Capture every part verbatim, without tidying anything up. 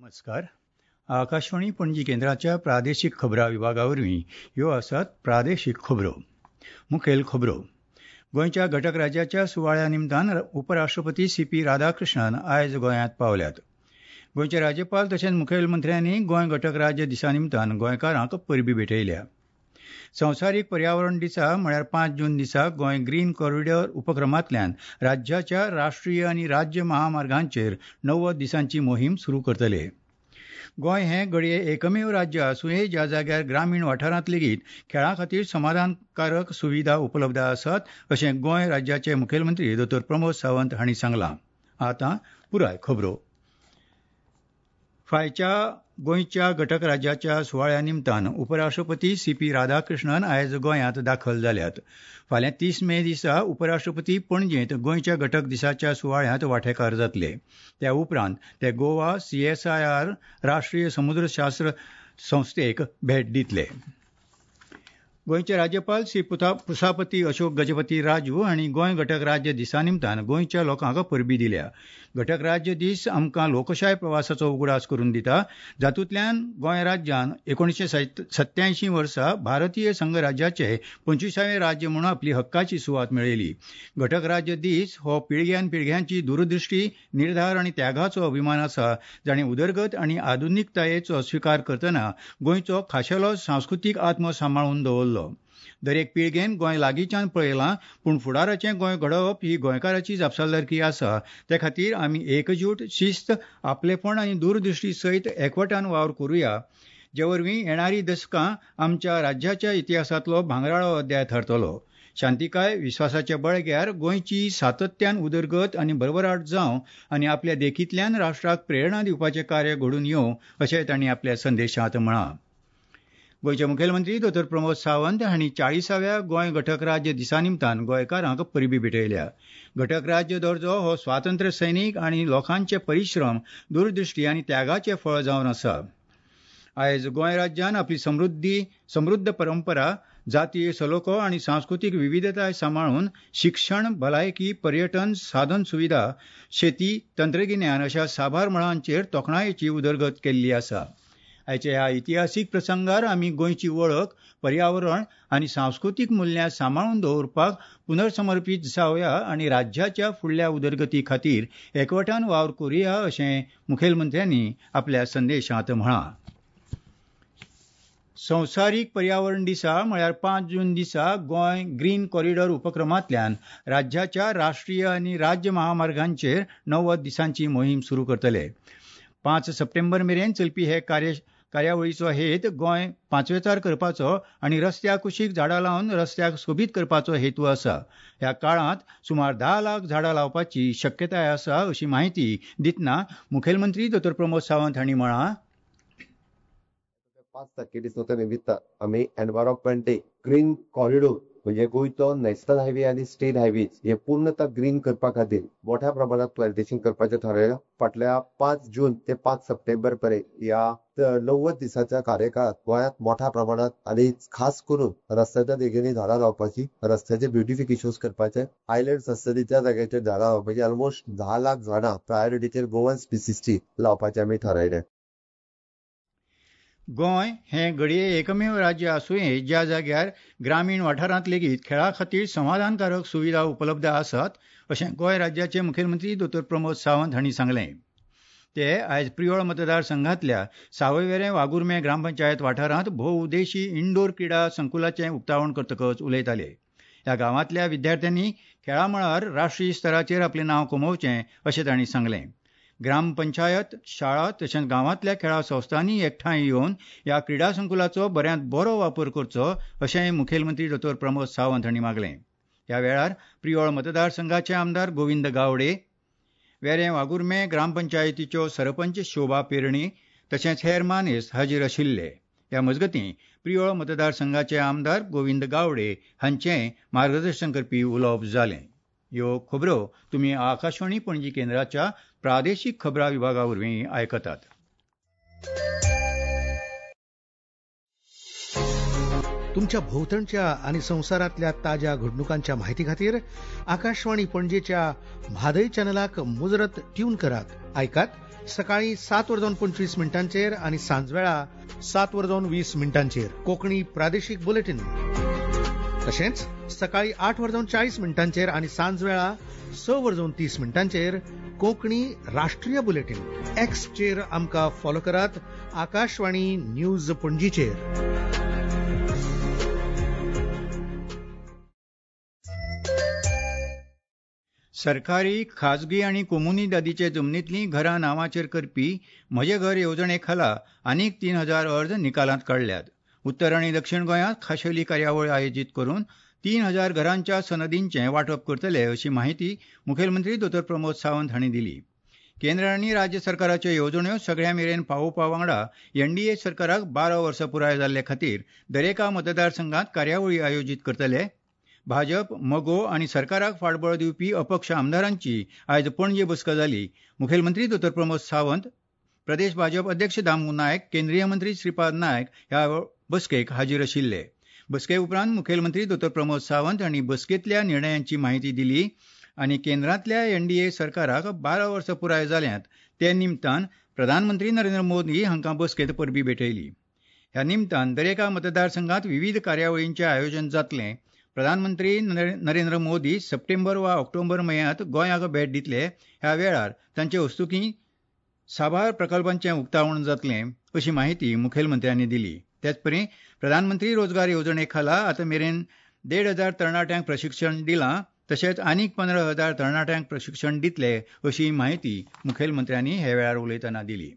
नमस्कार. आकाशवाणी पणजी केंद्राच्या प्रादेशीक खबरां विभागा वरवीं ह्यो आसात प्रादेशीक खबरो. मुखेल खबरो. गोंयच्या घटक राज्याच्या सुवाळ्या निमतान उपराष्ट्रपती सी पी राधाकृष्णन आयज गोंयांत पावल्यात. गोंयचे राज्यपाल तशेंच मुखेलमंत्र्यांनी गोंय घटक राज्य दिसा निमतान गोंयकारांक परबी भेटयल्या. संवसारीक पर्यावरण दिसा म्हळ्यार पांच जून दिसा गोंय ग्रीन कॉरिडॉर उपक्रमांतल्यान राज्याच्या राष्ट्रीय आनी राज्य महामार्गांचेर णव्वद दिसांची मोहीम सुरू करतले. गोंय हें घडये एकमेव राज्य आसुंये ज्या जाग्यार ग्रामीण वाठारांत लेगीत खेळां खातीर समाधानकारक सुविधा उपलब्ध आसात अशें गोंय राज्याचे मुखेलमंत्री दोतोर प्रमोद सावंत हांणी सांगलां. आतां पुराय खबरो. फायच्या गोंयच्या घटक राज्याच्या सुवाळ्या निमतान उपराष्ट्रपती सी पी राधाकृष्णन आयज गोंयांत दाखल जाल्यात. फाल्यां तीस मे दिसा उपराष्ट्रपती पणजेंत गोंयच्या घटक दिसाच्या सुवाळ्यांत वांटेकार जातले. त्या उपरांत ते Goa C S I R राष्ट्रीय समुद्रशास्त्र संस्थेक भेट दितले. गोंयचे राज्यपाल श्री पुसापती अशोक गजपती राजू हांणी गोंय घटक राज्य दिसा निमतान गोंयच्या लोकांक परबी दिल्या. घटक राज्य दीस आमकां लोकशाय प्रवासाचो उगडास करून दिता, जातूंतल्यान गोंय राज्यान एकोणीशे सत्त्यायंशी वर्सा भारतीय संघराज्याचे पंचविसावें राज्य म्हणून आपली हक्काची सुवात मेळयली. घटक राज्य दीस हो पिळग्यान पिळग्यांची दूरदृश्टी, निर्धार आनी त्यागाचो अभिमान आसा, जाणें उदरगत आनी आधुनिकतायेचो स्विकार करतना गोंयचो खाशेलो सांस्कृतीक आत्मो सांबाळून दवरलो. दरेक पिळगेन गोंय लागींच्यान पळयलां, पूण फुडाराचें गोंय घडोवप ही गोंयकाराची जापसालदारकी आसा. ते खातीर आमी एकजूट, शिस्त, आपलेपण आनी दूरदृश्टी सयत एकवटान वावर करुया, जे वरवीं येणारी दसकां आमच्या राज्याच्या इतिहासांतलो भांगराळो अध्याय थारतलो. शांतिकाय, विस्वासाच्या बळग्यार गोंयची सातत्यान उदरगत आनी भरभराट जावं आनी आपल्या देखींतल्यान राष्ट्राक प्रेरणा दिवपाचें कार्य घडून येवं अशें तांणी आपल्या संदेशांत म्हळां. गोंयचे मुखेलमंत्री दोतोर प्रमोद सावंत हांणी चाळीसाव्या गोंय घटक राज्य दिसा निमतान गोंयकारांक परबी भेटयल्या. घटक राज्य दर्जो हो स्वातंत्र्य सैनीक आनी लोकांचे परिश्रम, दूरदृश्टी आनी त्यागाचें फळ जावन आसा. आयज गोंय राज्यान आपली समृद्धी समृद्ध परंपरा, जातीय सलोखो आनी सांस्कृतीक विविधताय सांबाळून शिक्षण, भलायकी, पर्यटन, साधन सुविधा, शेती, तंत्रगिन्यान अशा साबार मळांचेर तोखणायेची उदरगत केल्ली आसा. आयच्या ह्या इतिहासीक प्रसंगार आमी गोंयची वळख, पर्यावरण आनी सांस्कृतीक मुल्यां सांबाळून दवरपाक पुनर्समर्पीत जावया आनी राज्याच्या फुडल्या उदरगती खातीर एकवटान वावर करुया अशें मुखेलमंत्र्यांनी आपल्या संदेशांत म्हळां. संवसारीक पर्यावरण दिसा म्हळ्यार पांच जून दिसा गोंय ग्रीन कॉरिडॉर उपक्रमांतल्यान राज्याच्या राष्ट्रीय आनी राज्य महामार्गांचेर णव्वद दिसांची मोहीम सुरू करतले. पांच सप्टेंबर मेरेन चलपी हे कार्य कार्यावळीचो हेत गोंय पांचवेचार करपाचो आनी रस्त्या कुशीक झाडां लावन रस्त्याक सोबीत करपाचो हेतू आसा. ह्या काळांत सुमार धा लाख झाडां लावपाची शक्यताय आसा अशी माहिती दितना मुखेलमंत्री दोतोर प्रमोद सावंत हांणी म्हळां, पांच तारखे दिसा निमित्त आमी एनवायरमेंट डे ग्रीन कॉरिडोर म्हणजे गोंयचो नॅशनल हायवे आनी स्टेट हायवे हे पूर्णतः ग्रीन करपा खातीर मोठ्या प्रमाणात प्लांटेशन करपाचें थारायलां. फाटल्या पांच जून ते पांच सप्टेंबर पर्यंत ह्या णव्वद दिसाच्या कार्यकाळात गोंयांत मोठ्या प्रमाणात आनी खास करून रस्त्याच्या देगेंनी झाडां लावपाची, रस्त्याचे ब्युटिफिकेशन करपाचे, आयलँड्स आसतली त्या जाग्याचेर झाडां लावपाची, ऑलमोस्ट धा लाख झाडां प्रायोरिटीचेर गोवन स्पिसीसची लावपाचें आमी थारायलें. गोंय हें घडये एकमेव राज्य आसुंये ज्या जाग्यार ग्रामीण वाठारांत लेगीत खेळा खातीर समाधानकारक सुविधा उपलब्ध आसात अशें गोंय राज्याचे मुखेलमंत्री दोतोर प्रमोद सावंत हांणी सांगलें. ते आयज प्रियोळ मतदारसंघांतल्या सावयवेरें वाघुर्मे ग्रामपंचायत वाठारांत भोवउद्देशी इनडोर क्रिडा संकुलाचें उक्तावण करतकच उलयताले. ह्या गांवांतल्या विद्यार्थ्यांनी खेळा मळार राष्ट्रीय स्तराचेर आपलें नांव कमोवचें अशें तांणी सांगलें. ग्रामपंचायत, शाळा तशेंच गांवांतल्या खेळा संस्थांनी एकठांय येवन ह्या क्रिडा संकुलाचो बऱ्यांत बरो वापर करचो अशेंय मुखेलमंत्री दोतोर प्रमोद सावंत हांणी मागलें. ह्या वेळार प्रियोळ मतदारसंघाचे आमदार गोविंद गावडे, वेरें वाघुर्मे ग्रामपंचायतीच्यो सरपंच शोभा पेरणी तशेंच हेर मानेस्त हाजीर आशिल्ले. ह्या मजगतीं प्रियोळ मतदारसंघाचे आमदार गोविंद गावडे हांचें मार्गदर्शन करपी उलोवप जालें. ह्यो खबरो तुमी आकाशवाणी पणजी केंद्राच्या प्रादेशीक खबरां विभागा वरवीं आयकतात. तुमच्या भोवतणच्या आनी संवसारांतल्या ताज्या घडणुकांच्या माहिती खातीर आकाशवाणी पणजेच्या म्हादय चॅनलाक मुजरत ट्यून करात. आयकात सकाळी सात वर जावन पंचवीस मिनटांचेर आनी सांजवेळा सात वर जावन वीस मिनटांचेर कोंकणी प्रादेशीक बुलेटीन. तशेंच सकाळी आठ वर जावन चाळीस मिनटांचेर आनी सांजवेळा स वर जावन तीस मिनटांचेर कोंकणी राष्ट्रीय बुलेटीन. एक्सचेर आमकां फॉलो करात आकाशवाणी न्यूज पणजीचेर. सरकारी, खाजगी आनी कोमुनिदादीचे जमनींतलीं घरां नांवाचेर करपी म्हजें घर येवजणे खाला आनीक तीन हजार अर्ज निकालांत काडल्यात. उत्तर आनी दक्षिण गोंयांत खाशेली कार्यावळ आयोजीत करून तीन हजार घरांच्या सनदींचें वांटप करतले अशी माहिती मुखेलमंत्री दोतोर प्रमोद सावंत हांणी दिली. केंद्र आनी राज्य सरकाराच्यो येवजण्यो सगळ्यां मेरेन पावोवपा वांगडा एनडीए सरकाराक बारा वर्सां पुराय जाल्ले खातीर दरेका मतदारसंघात कार्यावळी आयोजीत करतले. भाजप, मगो आनी सरकाराक फाटबळ दिवपी अपक्ष आमदारांची आयज पणजे बसका जाली. मुखेलमंत्री दोतोर प्रमोद सावंत, प्रदेश भाजप अध्यक्ष दामू नायक, केंद्रीय मंत्री श्रीपाद नायक ह्या बसकेक हाजीर आशिल्ले. बसके उपरांत मुखेलमंत्री दोतोर प्रमोद सावंत हांणी बसकेंतल्या निर्णयांची माहिती दिली आनी केंद्रांतल्या एनडीए सरकाराक बारा वर्सां पुराय जाल्यांत ते निमतान प्रधानमंत्री नरेंद्र मोदी हांकां बसकेंत परबीं भेटयली. ह्या निमतान दरेका मतदारसंघात विवीध कार्यावळींचें आयोजन जातलें. प्रधानमंत्री नरेंद्र मोदी सप्टेंबर वा ऑक्टोबर म्हयन्यांत गोंयाक भेट दितले. ह्या वेळार तांचे हस्तुकीं साबार प्रकल्पांचें उक्तावण जातलें अशी माहिती मुखेलमंत्र्यांनी दिली. तेचपरी प्रधानमंत्री रोजगार येवजणे खाला आतां मेरेन देड हजार तरणाट्यांक प्रशिक्षण दिलां, तशेंच आनीक पंदरा हजार तरणाट्यांक प्रशिक्षण दितले अशी माहिती मुखेलमंत्र्यांनी ह्या वेळार उलयतना दिली.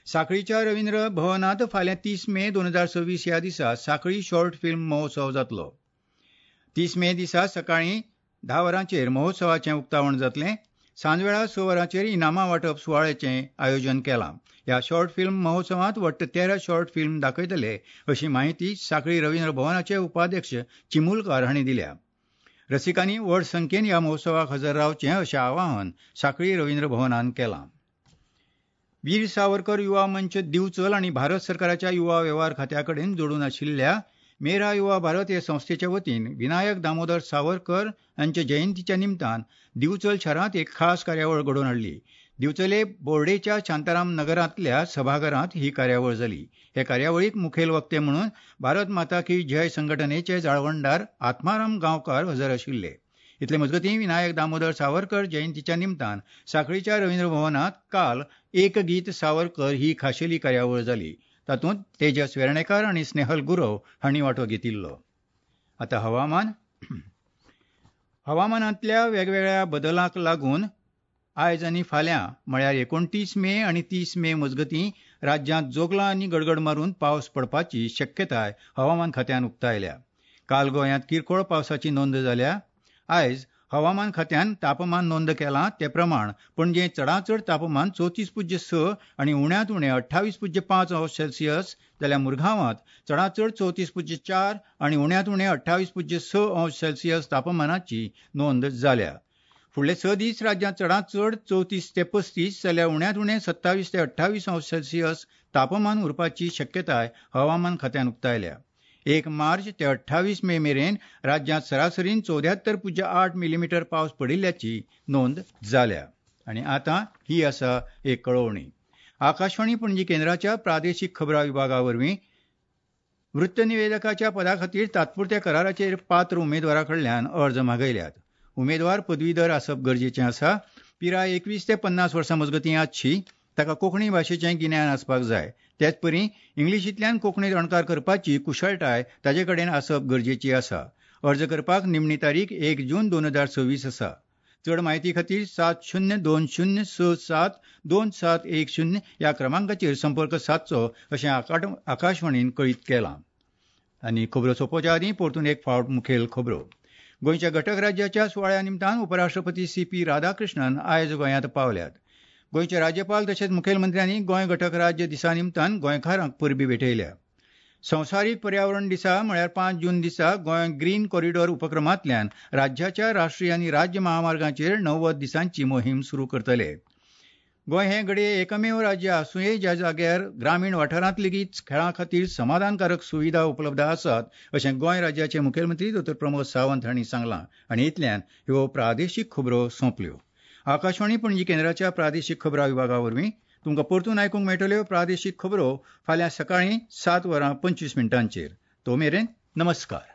साखळीच्या रवींद्र भवनांत फाल्यां तीस मे दोन हजार सव्वीस ह्या दिसा साखळी शॉर्ट फिल्म महोत्सव जातलो. तीस मे दिसा सकाळीं धा वरांचेर महोत्सवाचें उक्तावण जातलें. सांजवेळा स वरांचेर इनामां वांटप सुवाळ्याचें आयोजन केलां. ह्या शॉर्ट फिल्म महोत्सवांत वट्ट तेरा शॉर्ट फिल्म दाखयतले अशी माहिती साखळी रवींद्र भवनाचे उपाध्यक्ष चिमुलकार हांणी दिल्या. रसिकांनी व्हड संख्येन ह्या महोत्सवाक हजर रावचें अशें आवाहन साखळी रवींद्र भवनान केलां. वीर सावरकर युवा मंच दिवचल आनी भारत सरकाराच्या युवा वेव्हार खात्या कडेन जोडून आशिल्ल्या मेरा युवा भारत हे संस्थेच्या वतीन विनायक दामोदर सावरकर हांच्या जयंतीच्या निमतान दिवचल शारांत एक खास कार्यावळ घडोवन हाडली. दिवचले बोर्डेच्या शांताराम नगरांतल्या सभाघरांत ही कार्यावळ जाली. हे कार्यावळीक मुखेल वक्ते म्हणून भारत माता की जय संघटनेचे जाळवणदार आत्माराम गांवकार हजर आशिल्ले. इतले मजगतीं विनायक दामोदर सावरकर जयंतीच्या निमतान साखळीच्या रवींद्र भवनांत काल एक गीत सावरकर ही खाशेली कार्यावळ जाली. तातूंत तेजस वेर्णेकार आनी स्नेहल गुरव हांणी वांटो घेतिल्लो. आतां हवामान. हवामानांतल्या वेगवेगळ्या बदलांक लागून आयज आनी फाल्यां म्हळ्यार एकोणतीस मे आनी तीस मे मजगतीं राज्यांत जोगलां आनी गडगड मारून पावस पडपाची शक्यताय हवामान खात्यान उक्तायल्या. काल गोंयांत किरकोळ पावसाची नोंद जाल्या. आयज हवामान खात्यान तापमान नोंद केलां ते प्रमाण पणजे चडांत चड तापमान चवतीस पुज्य स आनी उण्यांत उणें अठ्ठावीस पुज्य पांच अंश सेल्सियस जाल्यार मुरगांवांत चडांत चड चवतीस पुज्य चार आनी उण्यांत उणें अठ्ठावीस पुज्य स अंश सेल्सियस तापमानाची नोंद जाल्या. फुडले स दीस राज्यांत चडांत चड चवतीस ते पस्तीस जाल्यार उण्यांत उणें सत्तावीस ते अठ्ठावीस अंश सेल्सियस तापमान उरपाची शक्यताय हवामान खात्यान उक्तायल्या. एक मार्च ते अठ्ठावीस मे मेरेन राज्यांत सरासरीन चौद्यात्तर पुज्य आठ मिलीमीटर पावस पडिल्ल्याची नोंद जाल्या. आनी आतां ही आसा एक कळोवणी. आकाशवाणी पणजी केंद्राच्या प्रादेशीक खबरां विभागा वरवीं वृत्तनिवेदकाच्या पदा खातीर तात्पुरत्या कराराचेर पात्र उमेदवारा कडल्यान अर्ज मागयल्यात. उमेदवार पदवीधर आसप गरजेचें आसा. पिराय एकवीस ते पन्नास वर्सां मजगतीं आसची. ताका कोंकणी भाशेचें गिन्यान आसपाक जाय. तेचपरी इंग्लिशींतल्यान कोंकणीत अणकार करपाची कुशळटाय ताजे कडेन आसप गरजेची आसा. अर्ज करपाक निमणी तारीख एक जून दोन हजार सव्वीस आसा. चड म्हायती खातीर सात शुन्य दोन शुन्य स सात दोन सात एक शुन्य ह्या क्रमांकाचेर संपर्क सादचो अशें आकाशवाणीन कळीत केलां. आनी खबरो सोंपोवच्या आदीं परतून एक फावट मुखेल खबरो. गोंयच्या घटक राज्याच्या सुवाळ्या निमतान उपराष्ट्रपती सी पी राधाकृष्णन आयज गोंयांत पावल्यात. गोंयचे राज्यपाल तशेंच मुखेलमंत्र्यांनी गोंय घटक राज्य दिसा निमतान गोंयकारांक परबीं भेटयल्या. संवसारीक पर्यावरण दिसा म्हळ्यार पांच जून दिसा गोंय ग्रीन कॉरिडॉर उपक्रमांतल्यान राज्याच्या राष्ट्रीय आनी राज्य महामार्गांचेर णव्वद दिसांची मोहीम सुरू करतले. गोंय हें घडये एकमेव राज्य आसुंये ज्या जाग्यार ग्रामीण वाठारांत लेगीत खेळां खातीर समाधानकारक सुविधा उपलब्ध आसात अशें गोंय राज्याचे मुखेलमंत्री दोतोर प्रमोद सावंत हांणी सांगलां आनी इतल्यान ह्यो प्रादेशीक खबरो सोंपल्यो. आकाशवाणी पणजी केंद्राच्या प्रादेशीक खबरां विभागा वरवीं तुमकां परतून आयकूंक मेळटल्यो प्रादेशीक खबरो फाल्यां सकाळीं सात वरां पंचवीस मिनटांचेर. तो मेरेन नमस्कार.